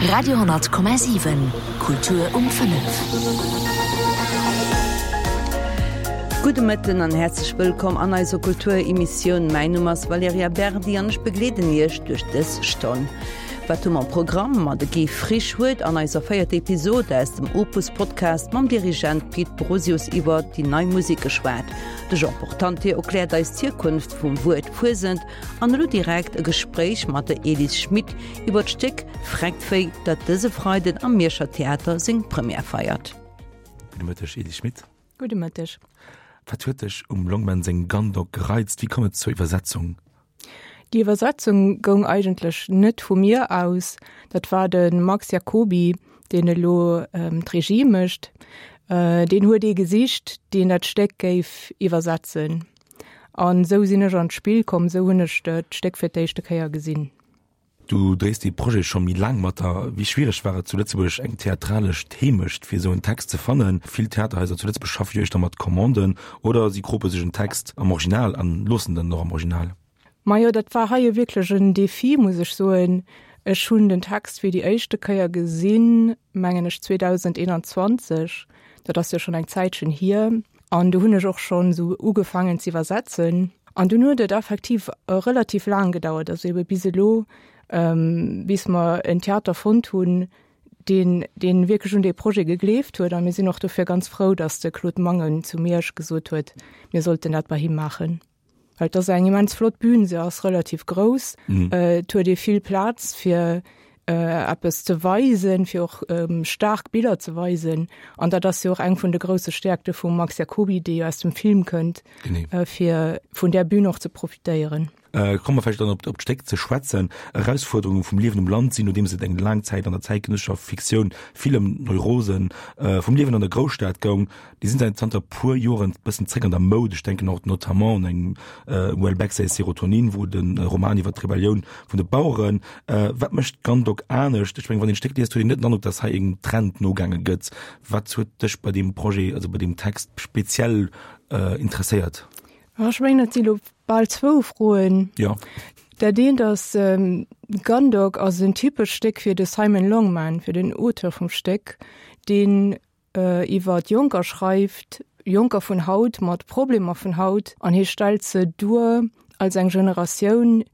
Radio,7 Kultur um 5. Gudde Mëtten an häerzlech wëllkomm an eiser Kulturemissioun. Mäin Numm ass Valerija Berdi an ech begleeden Iech duerch dës Stonn. Wat hu mer am Programm? Ma de Guy Frisch huet an eiser véierter Episod aus dem Opus Podcast mam Dirigent Pit Brosius iwwer déi nei Musek geschwat. De Jean Portante erkläert eis d'Hierkunft vum Wuert Fuesent An elo direkt e Gespréich mat der Elise Schmit iwwer d'Stéck Frecktvéi, dat dëse Freiden am Mierscher Theater seng Première feiert. Gudde Mëtteg, Elise Schmit. Gudde Mëtteg. Wat huet dech um Longman seng Gundog gereizt? Wéi koum et zur Iwwersetzung? Déi Iwwersetzung goung eigentlech net vu mir aus. Dat war de Max Jacoby, deen elo d'Regie mécht. Deen huet ee gesicht, deen dat Stéck géif iwwersetzen. An esou sinn ech an d'Spill komm, esou hunn ech d'Stéck fir d'éischte Kéier gesinn. Du dréis dee Projet scho méi laang mat der. Wéi schwiereg war et zu Lëtzebuerg eng theatralesch Heemecht fir esou en Text ze fannen? Vill Theaterhaiser zu Lëtzebuerg schaffe jo éischter mat Commanden oder si krope sech en Text am Original an loossen den och am Original. Majo, dat war hei jo wierklech en Defi, muss ech soen. Ech hunn den Text fir déi éischte Kéier gesinn, mengen ech 2021, dat ass jo schonn eng Zäitchen hier. An do hunn ech och schonn esou ugefaangen ze iwwersetzen. An dunn huet et effektiv relativ laang gedauert, also ebe bis elo, bis mer en Theater fonnt hunn, deen, deen wierklech un dee Projet gegleeft huet. A mir sinn och dofir ganz frou, datt de Claude Mangen zu Miersch gesot huet, mir sollten dat bei him maachen. Well et ass eng immens flott Bühn, se ass relativ grouss, et huet ee vill Plaz fir eppes ze weisen, fir och staark Biller ze weisen. An dat ass jo och eng vun de grousse Stäerkte vum Max Jacoby, dee jo aus dem Film kënnt, fir vun där Bühn och ze profitéieren. Komme mer vläicht dann op d'Stéck ze schwätzen. Erausfuerderunge vum Liewen um Land sinn, nodeems et eng laang Zäit an der zäitgenëssescher Fiktioun vill ëm Neurosen vum Liewen an der Grousstad goung, Déi sinn säit zanter puer Joren bëssen zréck an der Moud. Ech denken och notamment un engem Houellebecq säi Serotonin, wou de Roman iwwer d'Rebellioun vun de Baueren. Wat mécht Gundog anescht? Ech mengen, wann een d'Stéck liest, huet een net den Androck, datt hei engem Trend nogaange gëtt. Wat huet dech bei deem Projet, also bei deem Text speziell interesséiert? Ech mengen, dat si lo bal zwou Froen. Jo. Dat eent ass, Gundog ass en typescht Stéck fir de Simon Longman, fir den Auteur vum Stéck, deen iwwer Jonker schreift, Jonker vun haut mat Problemer vun haut, an hie stellt se duer als eng Generatioun,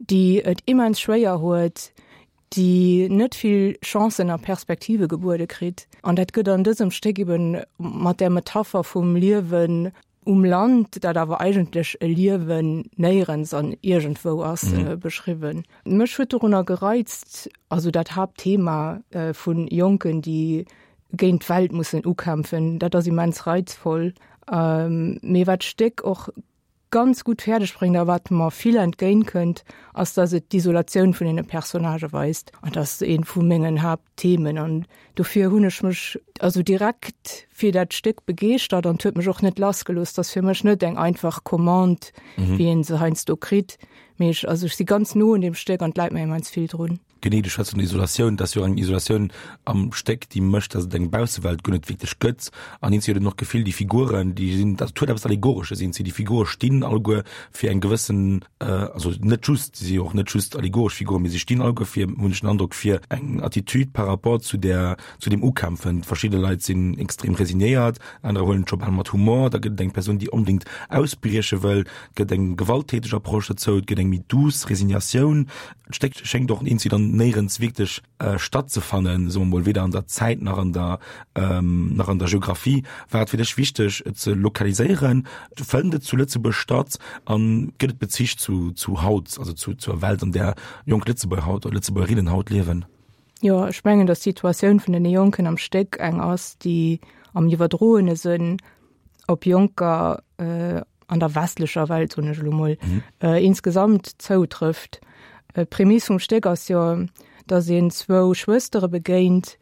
déi et immens schwéier huet, déi net vill Chancen a Perspektive gebuede kritt. An dat gëtt an dësem Stéck eben mat där Metapher vum Liewen um Land, dat awer eigentlech e Liewen néierens an iergendwou ass, beschriwwen. Mech huet dorunner gereizt, also dat Haaptthema vu Jonken, déi géint d'Welt mussen ukämpfen, dat ass immens reizvoll. Mee wat d'Stéck och ganz gutt fäerdeg bréngt a wat mer vill entgéint kënnt, ass, datt et d'Isolatioun vun deene Personnagë weist. An dat ass eent vu mengen Haaptthemen. An Dofir hunn ech mech also direkt fir dat Stéck begeeschtert an huet mech och net lassgelooss. Dat ass fir mech net eng einfach Commande, mhm. wéi een se heiansdo kritt. Mee ech, also ech si ganz no un dem Stéck an et läit mir immens vill drun. Genee, du schwätz vun Isolatioun, dat ass jo eng Isolatioun am Stéck, déi mécht, datt et eng Baussewelt guer net wierklech gëtt. An eens huet een och d'Gefill, déi Figuren, déi sinn, dat huet eppes Allegoresches, eens déi Figure stinn alleguer fir eng gewëssen also net just, si si och net just allegoresch Figuren, mee si stinn alleguer fir, hunn ech den Androck, fir eng Attitude par rapport zu där, zu deem Ukämpfen. Verschidde Leit sinn extrem resignéiert, anerer huelen et scho bal mat Humor. Da gëtt et eng Persoun, déi onbedéngt ausbrieche wëll, et gëtt eng gewalttäteg Approche dozou, et gëtt eng méi douce Resignatioun. D'Stéck schéngt och eenzi dann néierens wierklech stattzefannen, soe mer mol, weder an der Zäit nach an der, nach an der Geographie. War et fir dech wichteg, et ze lokaliséieren? Fënnt et zu Lëtzebuerg statt a gëtt et Bezich zu, zu haut, also zu, zur Welt, an där jonk Lëtzebuerger haut oder Lëtzebuergerinnen haut liewen? Jo, ech mengen, datt d'Situatioun vun den Jonken am Stéck eng ass, déi am iwwerdroene Sënn op Jonker an der westlecher Welt, soen ech elo mol, insgesamt zoutrëfft. D'Prämiss vum Stéck ass jo, datt een zwou Schwëstere begéint,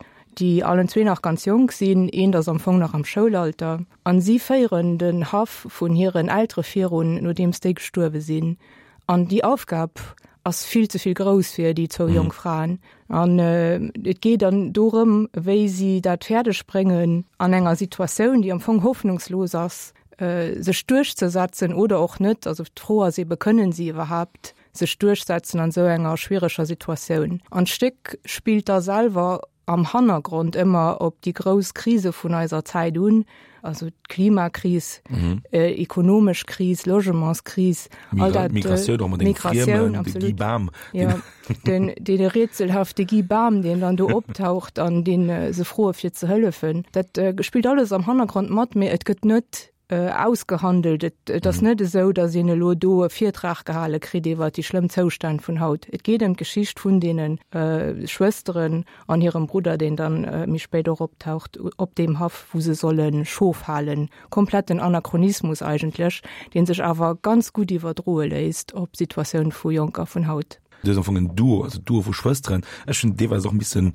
déi allen zwee nach ganz jonk sinn, eent ass am Fong nach am Schoulalter, an si féieren den Haff vun hiren Eltere virun, nodeems déi gestuerwe sinn. An déi Aufgab ass vill ze vill grouss fir déi zwou jonk Fraen. An et geet dann dorëm, wéi si dat fäerdeg bréngen, an enger Situatioun, déi am Fong hoffnungslos ass, sech duerchzesetzen oder och net. Also d'Fro ass ebe, kënnen si iwwerhaapt? sech duerchsetzen an esou enger schwiereger Situatioun. An d'Stéck spillt da selwer am Hannergrond ëmmer op déi grouss Krise vun eiser Zäit un, also d'Klimakris, mhm. äh, ekonomesch Kris, Logementskris, all dat, äh, Migratioun, och mat deem Friemen, de Guy Bam. Ja, den, den rätselhafte Guy Bam, deen dann do optaucht an deen äh, se froe fir ze hëllefen. Dat äh, spillt alles am Hannergrond mat, mee et gëtt net ausgehandelt. Et, et ass mhm. net esou, datt een elo do e Virtrag gehale kritt iwwer déi schlëmm Zoustänn vun haut. Et geet ëm d'Geschicht vun deenen äh, Schwësteren an hirem Brudder, deen dann äh, méi spéit och optaucht op deem Haff, wou se solle Schof halen. Kompletten Anachronismus eigentlech, deen sech awer ganz gutt iwwerdroe léisst op d'Situatioun vu Jonker vun haut. Du hues am Fong en Duo, also Duo vu Schwësteren. Ech hunn deelweis och e missen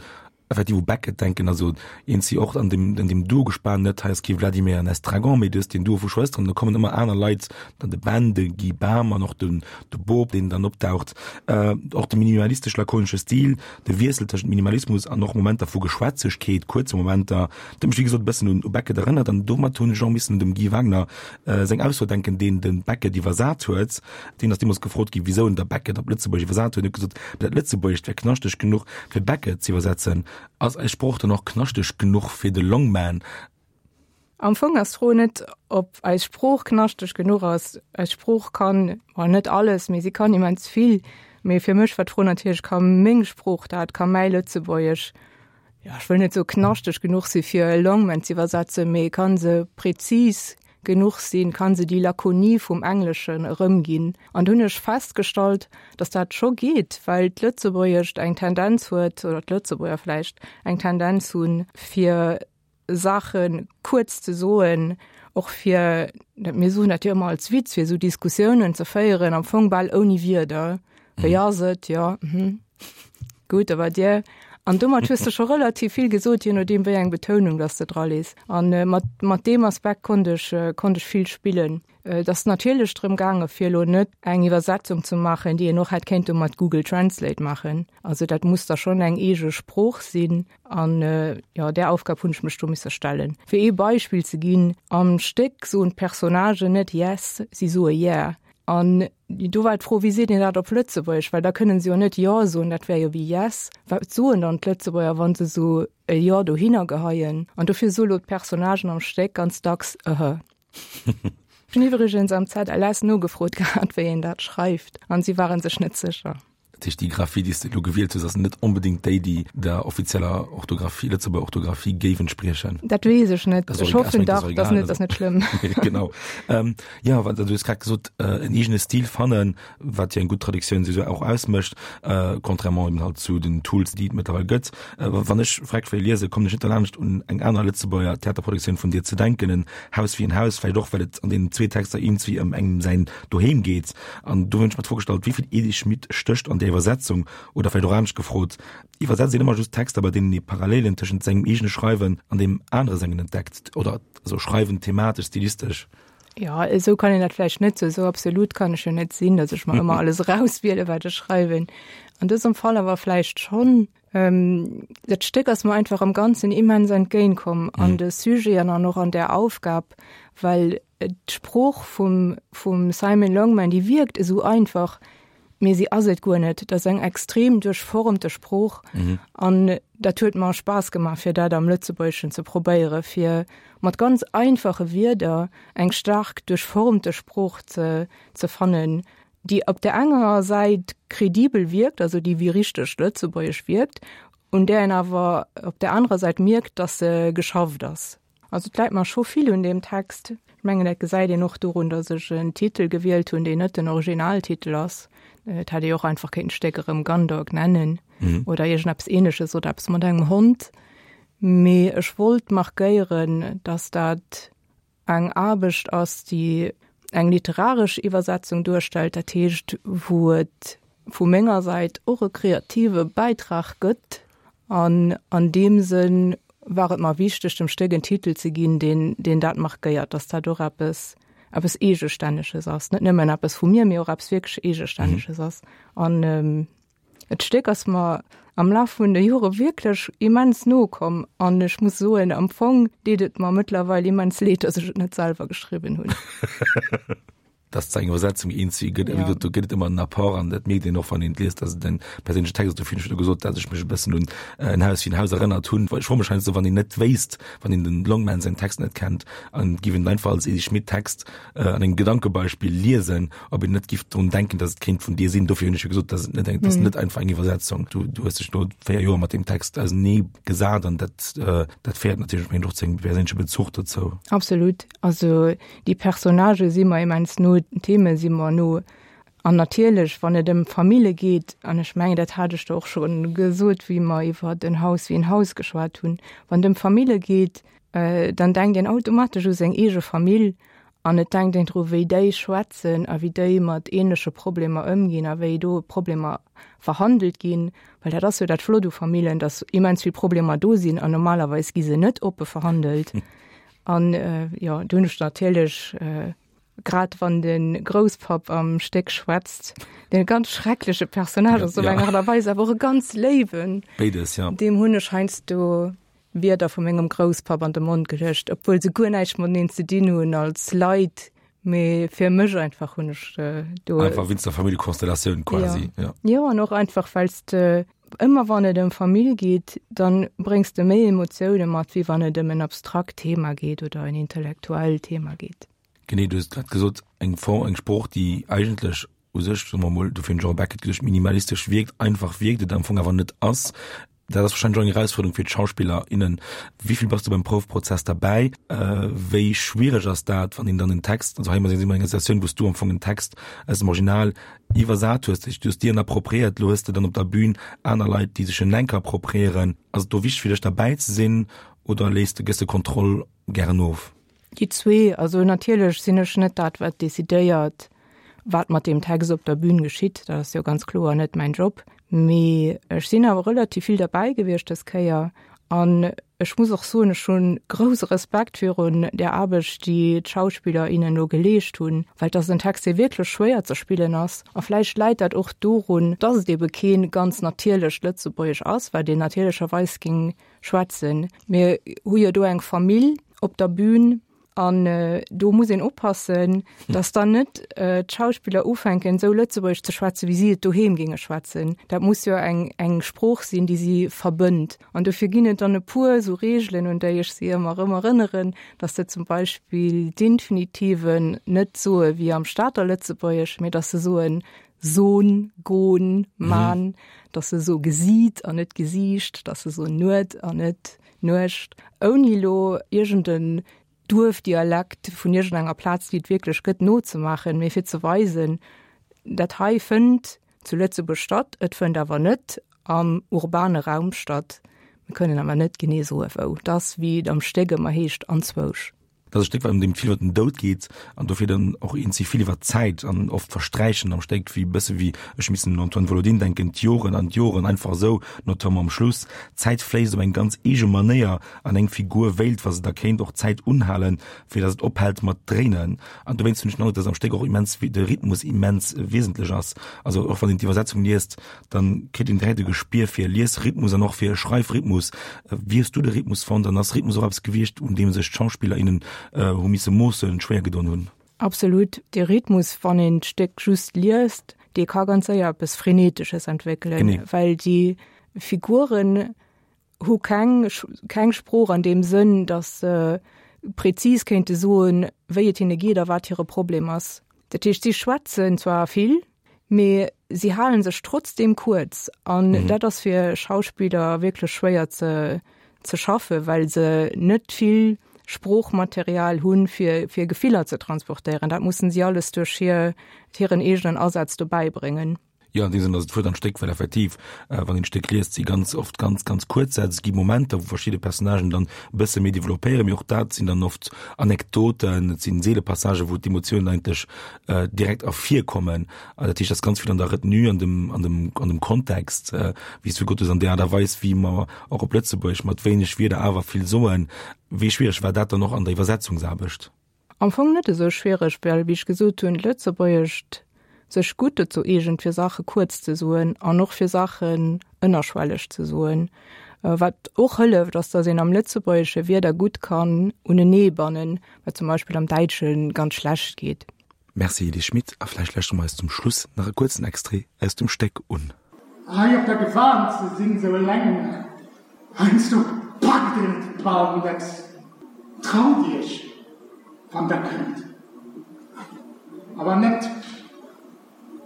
effektiv u Beckett denken, also een si och an dem, an dem Duo-Gespan, net hei ass kee Vladimir an Estragon, mee du hues deen Duo vu Schwësteren, do kommen ëmmer aner Leit, dann de Ben, de Guy Bam an och den, de Bob, deen dann opdaucht. Äh, och de minimalistesch-lakonesche Stil, de Wiessel tëschent Minimalismus an och Momenter vu Geschwätzegkeet, kuerze Momenter, dat huet mech wéi gesot e bëssen un u Beckett erënnert an domat hunn ech och missen un dem Guy Wagner äh, seng Ausso denken, deen de Beckett iwwersat huet. Deen ass deemools gefrot ginn, wisou en da Beckett op Lëtzebuergesch iwwersat huet. En huet gesot, dat Lëtzebuergescht wär knaschteg genuch, fir Beckett ze iwwersetzen. Ass eis Sprooch dann och knaschteg genuch fir de Longman? Am Fong ass d'Fro net, ob eis Sprooch knaschteg genuch ass. Eis Sprooch kann, bon, net alles, mee si kann immens vill. Mee fir mech war d'Fro natierlech, Ka meng Sprooch dat? Ka mäi Lëtzebuergesch, jo, ech wëll net soe knaschteg genuch si fir e Longman z'iwwersetzen, mee ka se prezis genuch sinn, kann se déi Lakonie vum Engleschen erëmginn. An do hunn ech festgestallt, datt dat scho geet, well d'Lëtzebuergescht eng Tendenz huet, oder d'Lëtzebuerger vläicht eng Tendenz hunn, fir Saache kuerz ze soen, och fir, mir soen dat jo ëmmer als Witz, fir esou Diskussiounen ze féieren, am Fong bal ouni Wierder. Wéi ass et? Jo, mhm. Gutt, a bei dir? An domat hues de scho relativ vill gesot, je nodeem wéi eng Betounung dass de dra lees. An mat, mat deem Aspekt konnt ech, konnt ech vill spillen. Et ass natierlech drëm gaange fir elo net eng Iwwersetzung ze maachen, déi een och hätt kéinte mat Google Translate maachen. Also dat muss da schonn eng eege Sprooch sinn. An jo, där Aufgab hunn ech mech do misse stellen. Fir ee Beispill ze ginn, Am Stéck soen d'Personnagen net yes, si soe yeah. An do war d'Fro, wéi seet een dat op Lëtzebuergesch, well da kënnen se jo net Jo soen, dat wär jo wéi Yes. Wat soen dann d'Lëtzebuerger, wa se esou e Jo dohinner geheien? An dofir soe lo d'Personnagen am Stéck ganz dacks Ëhë. Ech hunn iwwregens am ZLS nogefrot gehat, wéi een dat schreift, an si ware sech net sécher. Dat heescht, déi Graphie, déi s de elo gewielt hues, ass net onbedéngt déi, déi der offizieller Orthografie, Lëtzebuerger Orthografie géif entspriechen. Dat weess ech net. Ech hoffen dach, dat ass net, ass net schlëmm. Genau. Ähm, ja, wat, du hues grad gesot, äh, en eegene Stil fannen, wat jo eng gutt Traduktioun souwisou och ausmécht, äh, contrairement eben halt zu den Tools, déi et mëttlerweil gëtt. Äh, wann ech Freck wéi liese, kommen ech net derlaanscht, un eng aner Lëtzebuerger Theaterproduktioun vun dir ze denken, en Haus wéi en Haus, vläicht och, well et an deenen zwee Texter iergendwéi ëm engem säin Doheem geet. An do hunn ech mer d'Fro gestallt, wéi vill Edith Schmit stécht an där Iwwersetzung? Oder vläicht och anescht gefrot, Iwwersetzt een ëmmer just Texter, bei deenen ee Parallelen tëschent sengem eegene Schreiwen an deem anere sengen entdeckt? Oder also Schreiwen thematesch, stilistesch? Jo, esou kann een dat vläicht net soen. Esou absolut kann ech jo net sinn, datt ech mer ëmmer alles erauswielen, wat ech schreiwen. An dësem Fall awer vläicht schonn. Dat Stéck ass mer einfach am Ganzen immens entgéintkomm an de Sujeten an och an där Aufgab, well D'Sprooch vum vum Simon Longman, déi wierkt esou einfach, mee si ass et guer net. Dat ass eng extrem duerchformte Sprooch an dat huet mer Spaass gemaach, fir dat am Lëtzebuergeschen ze probéieren, fir mat ganz einfache Wierder eng staark duerchformte Sprooch ze ze fannen, déi op der enger Säit kredibel wierkt, also déi wéi richteg Lëtzebuergesch wierkt, un där een awer op der anerer Säit mierkt, datt se geschafft ass. Also et läit mer scho vill un deem Text. Ech mengen, dat gesäit een och dorun, datt ech en Titel gewielt hunn, deen net den Originaltitel ass. Et hätt ee jo och einfach kéinten d'Stéck erëm Gundog nennen oder iergendeppes Ähnleches oder eppes mat engem Hond. Mee ech wollt markéieren, datt dat eng Aarbecht ass, déi eng literaresch Iwwersetzung duerstellt, dat heescht, wou et vu menger Säit och e kreative Bäitrag gëtt. An an deem Sënn war et mer wichteg, dem Stéck en Titel ze ginn, deen, deen dat markéiert, dass dat och eppes, eppes Eegestänneges ass, net nëmmen eppes vu mir, mee och eppes wierklech Eegestänneges ass. An d'Stéck ass mer am Laf vun de Jore wierklech immens no komm an ech muss soen, am Fong deet et mer mëttlerweil immens leed, dass ech et net selwer geschriwwen hunn. Dass et eng Iwwersetzung eens wéi gëtt, ja. do gëtt et ëmmer en Apport an dat mierkt een och, wann een et liest, dass et en perséinlechen Text ass. Dofir hunn ech jo gesot, dass ech mech e bëssen un En Haus wéi en Haus erënnert hunn. Ech froe mech heiansdo, wann een net wéisst, wann een den Longman säin Text net kennt an et giff een einfach als Edy Schmit Text an engem Gedankebeispill liesen, ob een net giff drun denken, dass et kéint vun dir sinn. Dofir hunn ech jo gesot, dass et net eng, dass net einfach eng Iwwersetzung. Du, du hues dech no 4 Joer mat deem Text ausenee gesat an dat, dat féiert natierlech mengen och zu engem perséinleche Bezuch dozou. Absolut. Also Déi Personnagë si mer immens no, d'Theme si mer no. An natierlech, wann et ëm Famille geet, an ech mengen, dat hat ech der och scho gesot, wéi mer iwwer En Haus wéi en Haus geschwat hunn, wann et ëm Famille geet, dann denkt een automatesch u seng eege Famill an et denkt een dru wéi déi schwätzen a wéi déi mat änleche Problemer ëmginn a wéi do Problemer verhandelt ginn. Well dat ass jo dat Flott u Famillen, datt immens vill Problemer do sinn an normalerweis gi se net oppe verhandelt. An jo, do hunn ech natierlech, grad wann de Grousspapp am Stéck schwätzt, deen e ganz schreckleche Personnage ass op eng Aart a Weis, awer och e ganz léiwen. Béides, jo. Deem hunn ech heiansdo Wierder vu mengem Grousspapp an de Mond geluecht, obwuel se guer näischt mateneen ze dinn hunn als Leit, mee fir mech einfach hunn ech do. Einfach wéinst der Familljekonstellatioun quasi, jo. Jo, an och einfach, well s de Ëmmer wann et ëm Famill geet, da bréngs de méi Emotioune mat, wéi wann et ëm en abstrakt Thema geet oder en intellektuellt Thema geet. Genee, du hues et grad gesot, eng Form, eng Sprooch, déi eigentlech u sech, soe mer emol, dofir hunn ech och e Beckett geduecht, minimalistesch wierkt, einfach wierkt, et am Fong awer net ass. Dat ass wahrscheinlech och eng Erausfuerderung fir d'Schauspiller, innen. Wéi vill bass du beim Proufprozess derbäi? Wéi schwiereg ass dat, wann een dann en Text, also hei si mer an enger Situatioun, wou s du am Fong en Text aus dem Original iwwersat hues, du hues dir en appropriéiert, lo hues de dann op der Bühn aner Leit, déi sech en enk appropriéieren. Ass et do wichteg fir dech derbäi ze sinn oder léiss de, gëss de Kontroll gären of? Déi zwee. Also natierlech sinn ech net dat, wat decidéiert, wat mat deem Text op der Bühn geschitt. Dat ass jo ganz kloer net mäin Job. Mee ech sinn awer relativ vill derbäi gewiescht dës Kéier an ech muss och soen, ech hu grouse Respekt virun där Aarbecht, déi d'Schauspiller, innen do geleescht hunn, well et ass en Text, dee wierklech schwéier ze spillen ass. A vläicht läit dat och dorun, dass et ebe kee ganz natierlecht Lëtzebuergesch ass, wat een natierlecherweis géing schwätzen. Mir hu jo do eng Famill op der Bühn, An do muss een oppassen, dass dann net d'Schauspiller ufänken, esou Lëtzebuergesch ze schwätzen, wéi si et doheem géinge schwätzen. Dat muss jo eng, eng Sprooch sinn, déi si verbënnt. An dofir ginn et dann e puer esou Reegelen, un déi ech si ëmmer erëm erënneren, dass se zum Beispill d'Infinitiven net soe wéi am Stater Lëtzebuergesch, mee dass se soen son, gon, man, dass se soe gesiit an net gesiicht, dass se soen nuet an net Nuecht, ouni elo iergend en Duerfdialekt vun iergendenger Plaz, déi et wierklech gëtt, nozemaachen, mee fir ze weisen, dat hei fënnt zu Lëtzebuerg statt, et fënnt awer net am urbane Raum statt. Mir kënnen awer net genee soe wou. Et ass, wéi et am Stéck ëmmer heescht, anzwousch. Dat ass e Stéck, wat ëm deem vill iwwer den Doud geet an dofir dann och eenzi vill iwwer d'Zäit an oft versträichen am Stéck, wéi e bësse wéi, ech missen un Antoine Volodine denken, d'Joren an d'Joren einfach esou, notamment am Schluss. D'Zäit fléisst op eng ganz eege Manéier an eng Figur wéilt, wa se da kéint, och d'Zäit unhalen, fir datt et ophält mat dréinen. An dowéinst hunn ech den Androck, datt am Stéck och immens de Rhythmus immens wesentlech ass. Also och wann een d'Iwwersetzung liest, dann kritt een direkt e Gespier fir e Liesrhythmus an och fir e Schreifrhythmus. Wéi hues du de Rhythmus fonnt an ass Rhythmus och eppes gewiescht, un deem sech d'Schauspiller, innen hu misse moossen, schwéier gedoen hunn? Absolut. De Rhythmus, wann een d'Stéck just liest, dee ka ganz séier eppes Frenetesches entwéckelen, well déi Figuren hu keng keng Sprooch an deem Sënn, datt se prezis kéinte soen, wéi et hinne geet a wat hire Problem ass. Dat heescht, si schwätzen zwar vill, mee si hale sech trotzdeem kuerz. An mhm. dat ass fir Schauspiller wierklech schwéier ze, ze schaffen, well se net vill Sproochmaterial hunn, fir, fir Gefiller ze transportéieren. Dat mussen si alles duerch hir, hiren eegenen Asaz dobäi bréngen. Jo, an deem Sënn ass et Wuert an Stéck, well effektiv, wann een d'Stéck liest, si ganz oft ganz, ganz kuerz Sätz. Et gi Momenter, wou verschidde Personnagen dann e bësse méi developpéieren, mee och dat sinn dann oft Anekdoten, et sinn seele Passagen, wou d'Emotiounen eigentlech direkt ervirkommen. An dat heescht, et ass ganz vill an der Retenue, an dem, an dem, an dem Kontext, wéi s du gesot hues, an där Aart a Weis, wéi mer och op Lëtzebuergesch mat wéineg Wierder awer vill soen. Wéi schwiereg war dat dann och an der Iwwersetzungsaarbecht? Am Fong net esou schwiereg, well, wéi ech gesot hunn, d'Lëtzebuergescht sech gutt dozou eegent, fir Saache kuerz ze soen an och fir Saachen ënnerschwelleg ze soen. Wat och hëlleft, ass, datt een am Lëtzebuergesche Wierder gutt kann uneneebannen, wat zum Beispill am Däitsche ganz schlecht geet. Merci Elie Schmit a vläicht lauschtere mer eis zum Schluss nach e kuerzen Extrait aus dem Stéck un. Hei op der Gewan ze sinn, sou eleng, heiansdo packt een et bal net. Traut iech, wann der kënnt. A wann net,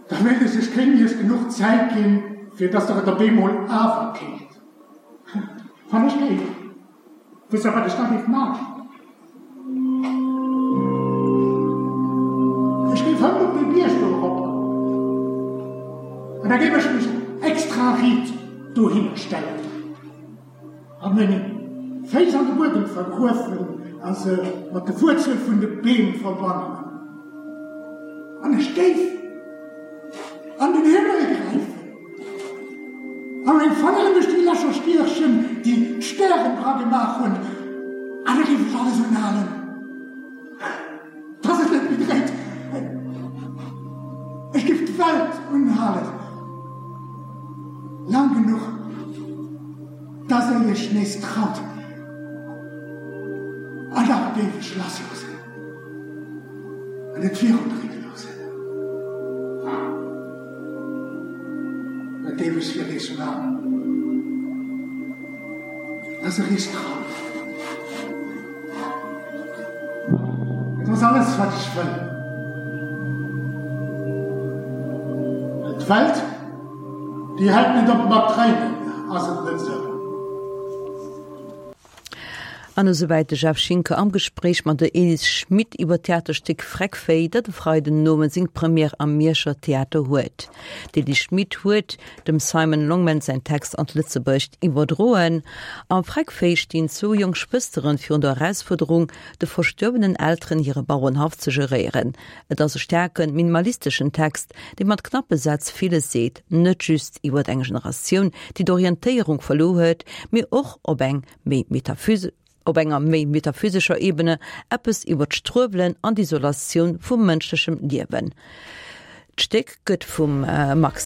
da wéilt ech, ech kéint iech genuch Zäit ginn, fir dass der et op eemol awer kéint. Wann ech géif. Wësst der, wat ech da géif maachen? Ech géif hënt op dee Bierg do erop an da géif ech mech extra riit dohinner stellen a meng Féiss an de Buedem vergruefen a se mat de Wuerzel vun de Beem verbannen. An ech géif an den Himmel gräifen. A meng Fangeren duerch déi Lächer stiechen, déi d'Stären dra gemaach hunn, an da géif ech alles unhalen, dass et net méi dréit. Ech géif d'Welt unhalen, laang genuch, dass der iech nees traut, an da géif ech lassloossen. An et virundréine loossen. Dat géif ech fir iech maachen, dass der iech traut. Et ass alles, wat ech wëll. Well d'Welt, déi hält net op mat dréinen, ass et net esou? An esouwäit de Jeff Schinker am Gespréich mat der Elis Schmit iwwer d'Theaterstéck Freckvéi, dat e Freiden Nomëtt seng Première am Mierscher Theater huet. D'Elis Schmit huet dem Simon Longman säin Text an d'Lëtzebuergescht iwwerdroen. Am Freckvéi stinn zwou jonk Schwësteren virun der Erausfuerderung, de verstuerwenen Elteren hire Bauerenhaff ze geréieren. Et ass e staarken, minimalisteschen Text, dee mat knappe Sätz villes seet, net just iwwert eng Generatioun, déi d'Orientéierung verluer huet, mee och op eng méi op enger méi metaphysescher Ebene eppes iwwer d'Struewelen an d'Isolatioun vum mënschlechem Liewen. D'Stéck gëtt vum Max.